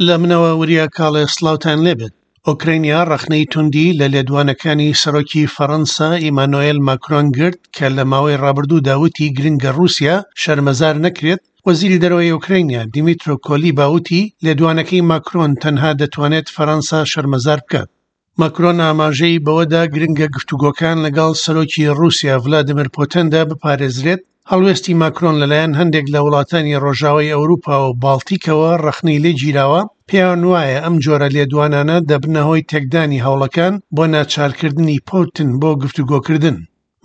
لە منەوە وریا کاڵێ سڵاوتان لێبێت. ئۆکرەینیا ڕەخنەی توندی لە لێدوانەکانی سەرۆکی فەڕەنسا ئیمانۆێل ماکرۆن گرت کە لە ماوەی ڕابردوودا وتی گرنگە ڕووسیا شەرمەزار نەکرێت، وەزیری دەرەوەی ئۆکرەینیا دیمیترۆ کۆلیبا وتی لێدوانەکەی ماکرۆن تەنها دەتوانێت فەرەنسا شەرمەزار بکات. ماکرۆن ئاماژەی بەوەدا گرنگە گفتوگۆکان لەگەڵ سەرۆکی ڕووسیا ڤلادیمیر پۆتندا بپارێزرێت، هەڵوێستی ماکرۆن لەلایەن هەندێک لە وڵاتانی ڕۆژاوای ئەوروپا و باڵتیکەوە ڕەخنەی لێ گیراوە، پێیان وایە ئەم جۆرە لێدوانانە دەبنە هۆی تێکدانی هەوڵەکان بۆ ناچارکردنی پوتن بۆ گفتوگۆکردن.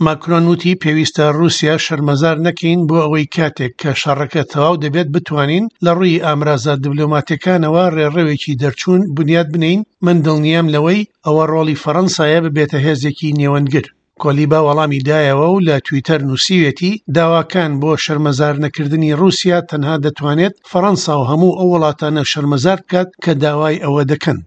ماکرۆن وتی پێویستە ڕووسیا شەرمەزار نەکەین بۆ ئەوەی کاتێک کە شەڕەکە تەواو دەبێت بتوانین لە ڕووی ئامرازە دبلۆماتیەکانەوە ڕێڕەوێکی دەرچوون بنیات بنێین، من دڵنیام لەوەی ئەوە ڕۆڵی فەڕەنسایە ببێتە هێزێکی نێوەندگر. کۆلیبا وەڵامی دایەوە و لە تویتەر نووسیوێتی داواکان بۆ شەرمەزارنەکردنی ڕووسیا تەنها دەتوانێت فەڕەنسا و هەموو ئەو وڵاتانە شەرمەزار بکات کە داوای ئەوە دەکەن.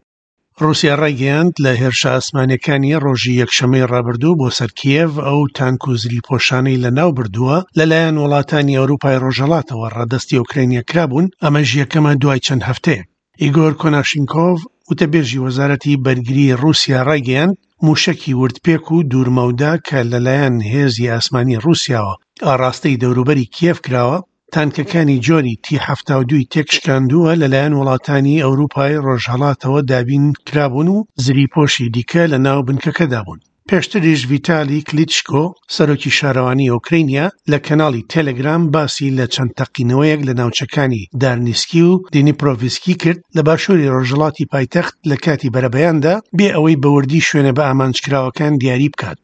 ڕووسیا ڕایگەیاند، لە هێرشە ئاسمانییەکانی ڕۆژی یەکشەممەی ڕابردوو بۆ سەر کیێڤ، ئەو تانک و زریپۆشانەی لەناوبردووە لەلایەن وڵاتانی ئەوروپای ڕۆژهەڵاتەوە ڕادەستی ئۆکرانیا کرابوون، ئەمەش یەکەمە دوای چەند هەفتەیەک. ئیگۆر کۆناشینکۆڤ، وتەبێژی وەزارەتی بەرگریی ڕووسیا ڕایگەیاند، مووشەکی وردپێک و دوورمەودا کە لەلایەن هێزی ئاسمانی ڕووسیاوە ئاڕاستەی دەوروبەری کیێڤ کراوە، تانکەکانی جۆری تی 72 ی تێکشکاندووە لەلایەن وڵاتانی ئەوروپای ڕۆژهەڵاتەوە دابین کرابوون و زریپۆشی دیکە لەناو بنکەکەدا بوون. پێشتریش ڤیتالی کلیتشکۆ، سەرۆکی شارەوانی ئۆکرەینیا لە کەناڵی تێلێگرام باسی لە چەند تەقینەوەیەک لە ناوچەکانی دارنیسکی و دینیپرۆڤیسکی کرد لە باشووری ڕۆژهەڵاتی پایتەخت لە کاتی بەرەبەیاندا بێ ئەوەی بە وردی شوێنە بەئامانجکراوەکان دیاری بکات.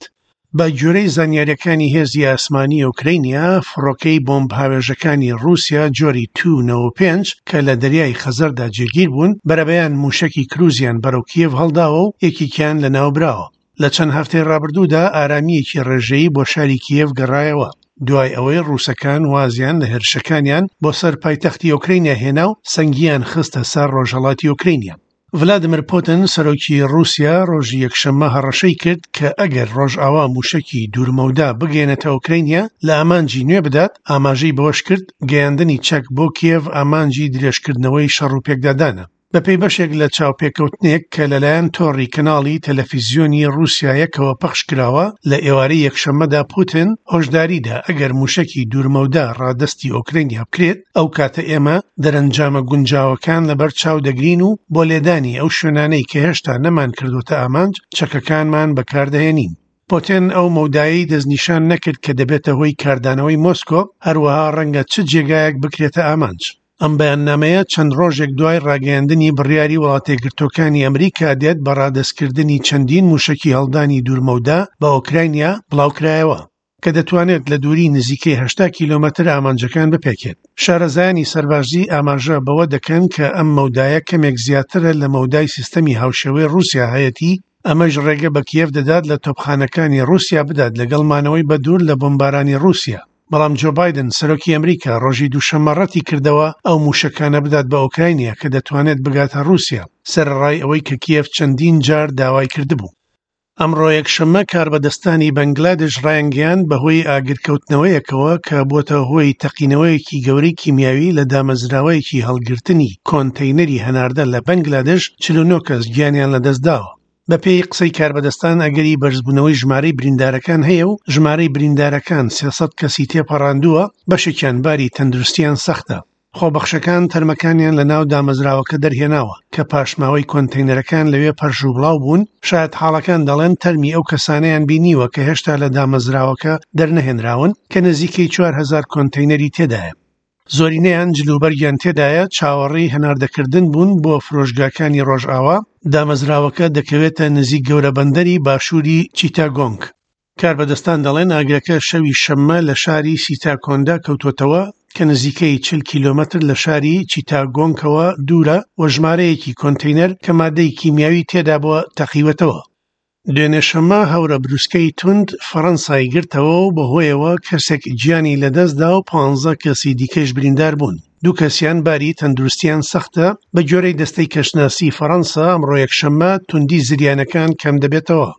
بە گوێرەی زانیارییەکانی هێزی ئاسمانی ئۆکرەینیا، فڕۆکەی بۆمبهاوێژەکانی ڕووسیا جۆری تو 95 کە لە دەریای خەزەردا جێگیر بوون، بەرەبەیان مووشەکی کروزیان بەرەو کیێڤ هەڵداوە و یەکێکیان لەناوبراوە. لە چەند هەفتەی ڕابردوودا ئارامییەکی ڕێژەیی بۆ شاری کیێڤ گەڕایەوە، دوای ئەوەی ڕووسەکان وازیان لە هێرشەکانیان بۆ سەر پایتەختی ئۆکرەینیا هێنا و سەنگیان خستە سەر ڕۆژهەڵاتی ئۆکرەینیا. ڤلادیمیر پوتن، سەرۆکی ڕووسیا ڕۆژی یەکشەممە هەڕەشەی کرد کە ئەگەر ڕۆژئاوا مووشەکی دوورمەودا بگەیەنێتە ئۆکرەینیا لە ئامانجی نوێ بدات، ئاماژەی بەوەشکرد، گەیاندنی چەک بۆ کیێڤ ئامانجی درێژکردنەوەی شەڕ و پێکدادانە. بەپێی بەشێک لە چاوپێکەوتنێک کە لەلایەن تۆڕی کەناڵی تەلەفیزیۆنی ڕووسیا یەکەوە پەخشکراوە، لە ئێوارەی یەکشەممەدا پوتن هۆشداریدا ئەگەر مووشەکی دوورمەودا ڕادەستی ئۆکرەینیا بکرێت، ئەو کاتە ئێمە دەرەنجامە گونجاوەکان لەبەر چاو دەگرین و بۆ لێدانی ئەو شوێنانەی کە هێشتا نەمانکردووەتە ئامانج، چەکەکانمان بەکاردەهێنین. پۆتێن ئەو مەودایەی دەستنیشان نەکرد کە دەبێتە هۆی کاردانەوەی مۆسکۆ، هەروەها ڕەنگە چ جێگایەک بکرێتە ئامانج. ئەم بەیاننامەیە چەند ڕۆژێک دوای ڕاگەیاندنی بڕیاری وڵاتەیەکگرتووەکانی ئەمریکا دێت بە ڕادەستکردنی چەندین مووشەکی هەڵدانی دوورمەودا بە ئۆکرانیا بڵاوکرایەوە. کە دەتوانێت لە دووری نزیکەی 80 کیلۆمەتر ئامانجەکان بپێکێت. شارەزایانی سەربازی ئاماژە بەوە دەکەن کە ئەم مەودایە کەمێک زیاترە لە مەودای سیستەمی هاوشێوەی ڕووسیا هەیەتی، ئەمەش ڕێگە بە کیێڤ دەدات لە تۆپخانەکانی ڕووسیا بدات لەگەڵ مانەوەی بەدوور لە بۆمبارانی ڕووسیا. بەڵام جۆ بایدن، سەرۆکی ئەمریکا ڕۆژی دووشەممە ڕەتی کردەوە ئەو مووشەکانە بدات بە ئۆکراینیا کە دەتوانێت بگاتە ڕووسیا، سەرەڕای ئەوەی کە کیێڤ چەندین جار داوای کردبوو. ئەمڕۆ یەکشەممە کاربەدەستانی بەنگلادش ڕایانگەیاند بەهۆی ئاگرکەوتنەوەیەکەوە کە بووەتە هۆی تەقینەوەیەکی گەورەی کیمیاوی لە دامەزراوەیەکی هەڵگرتنی کۆنتەینەری هەناردە لە بەنگلادش 49 کەس گیانیان لەدەستداوە. بەپێی قسەی کاربەدەستان ئەگەری بەرزبوونەوەی ژمارەی بریندارەکان هەیە و ژمارەی بریندارەکان 300 کەسی تێپەڕاندووە، بەشێکیان باری تەندروستیان سەختە. خۆبەخشەکان تەرمەکانیان لە ناو دامەزراوەکە دەرهێناوە کە پاشماوەی کۆنتەینەرەکان لەوێ پەرش و بڵاو بوون، شایەتحاڵەکان دەڵێن تەرمی ئەو کەسانەیان بینیوە کە هێشتا لە دامەزراوەکە دەرنەهێنراون کە نزیکەی 4000 کۆنتەینەری تێدایە. زۆرینەیان جلوبەرگیان تێدایە، چاوەڕێی هەناردەکردن بوون بۆ فرۆشگاکانی ڕۆژئاوا، دامەزراوەکە دەکەوێتە نزیک گەورە بەندەری باشووری چیتاگۆنگ. کاربەدەستان دەڵێن ئاگرەکە شەوی شەممە لە شاری سیتاکۆندا کەوتووەتەوە کە نزیکەی 40 کیلۆمەتر لە شاری چیتاگۆنگەوە دوورە و ژمارەیەکی کۆنتەینەر کە مادەی کیمیاوی تێدابووە تەقیوەتەوە. دوێنێ شەممە هەورە بروسکەی توند فەڕەنسای گرتەوە و بەهۆیەوە کەسێک گیانی لەدەستدا و 15 کەسی دیکەیش بریندار بوون، دوو کەسیان باری تەندروستیان سەختە، بەگوێرەی دەستەی کەشناسی فەڕەنسا ئەمڕۆ یەکشەممە توندی زریانەکان کەمدەبێتەوە.